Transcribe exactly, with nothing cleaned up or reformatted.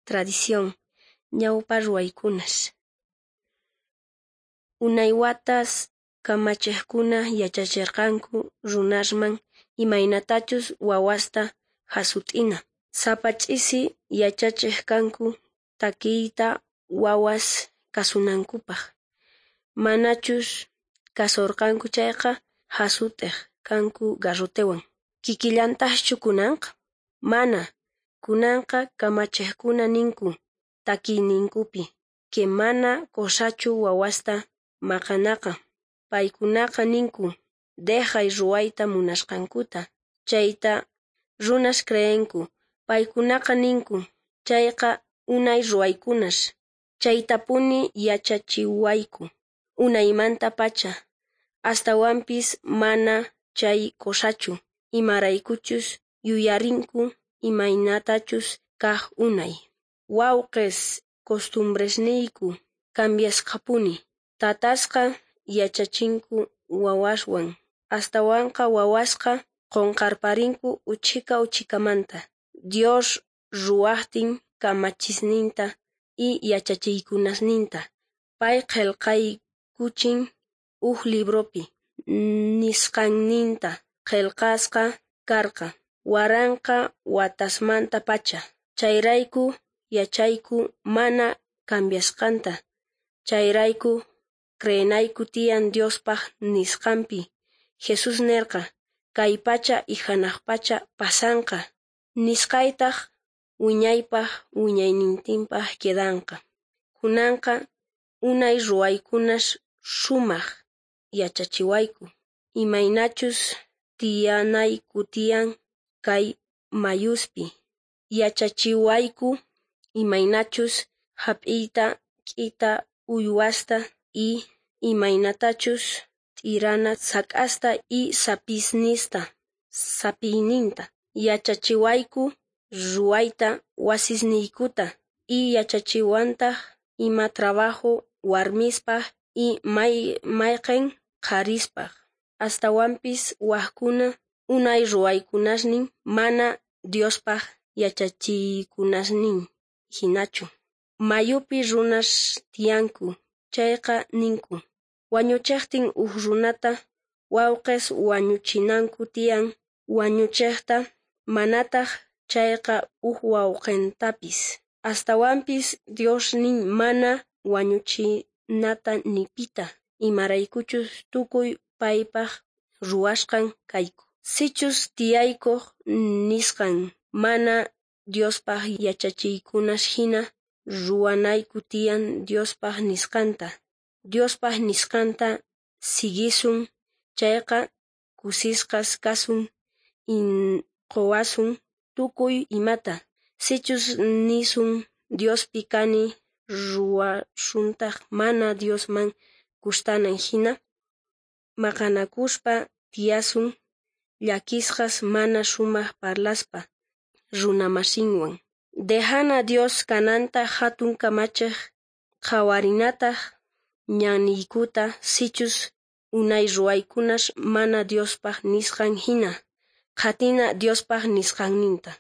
Tradición, ñawpa ruwaykunas. Unay watas kamachejkuna yachacherqanku runasman imaynatachus wawasta jasut'ina. Sapa ch'isi yachachej kanku takiyta wawas kasunankupaj. Manachus kasorqanku chayqa jasut'ej kanku garrotewan. Kikillantajchu kunanqa? Mana, kunanqa kamachejkuna ninku takiyninkupi que mana qosachu wawasta maqanaqa. Paykunaqa ninku dejay ruwayta munasqankuta, chayta runas creenku. Paykunaqa ninku chayqa unay ruwaykunas, chaytapuni yachachiwayku unaymantapacha. Astawanpis mana chay qosachu, imaraykuchus yuyarinku imaynatachus kaj unay. Wawqes, costumbresniyku cambiasqapuni. Tatasqa yachachinku wawaswan, astawanqa wawasqa qonqarparinku uchhika uchhikamanta. Dios ruwajtin kamachisninta y yachachiykunasninta, pay qhelqaykuchin uj libropi, nisqanninta qhelqasqa karqa waranqa watasmantapacha. Chayrayku yachayku mana cambiasqanta. Chayrayku creenayku tiyan Diospaj nisqanpi. Jesús nerqa kay pacha y janaj pacha pasanqa, nisqaytaj wiñaypaj wiñaynintinpaj quedanqa. Kunanqa unay ruwaykunas sumaj yachachiwayku imaynachus tiyanayku tiyan kay mayuspi. Yachachiwayku imaynachus jap'iyta k'ita uywasta y imaynatachus t'irana sak'asta y sapisnista sapiyninta. Yachachiwayku ruwayta wasisniykuta y yachachiwantaj ima trabajo warmispaj y may mayqen qharispaj. Astawanpis wajkuna unay ruwaykunasnin mana Diospaj yachachiykunasnin jinachu. Mayupi runas tiyanku chayqa ninku wañuchejtin uj runata wawqes wañuchinanku tiyan wañuchejta, manataj chayqa uj wawqentapis. Astawanpis Dios nin mana wañuchinata ni pita, imaraykuchus tukuy paypaj ruwasqan kayku. Sichus tiyaykoj nisqan mana Diospaj yachachiykunas jina, ruwanayku tiyan Diospaj nisqanta. Diospaj nisqanta siguisun chayqa kusisqas kasun y qowasun tukuy imata. Sichus nisun Diospi kani ruwasuntaj mana Diosman gustanan jina, maqanakuspa tiyasun llakisqas mana sumaj parlaspa runamasinwan. Dejana Dios kananta jatun kamachej, qhawarinataj ñanniykuta sichus unay ruwaykunas mana Diospaj nisqan jina, qhatina Diospaj nisqanninta.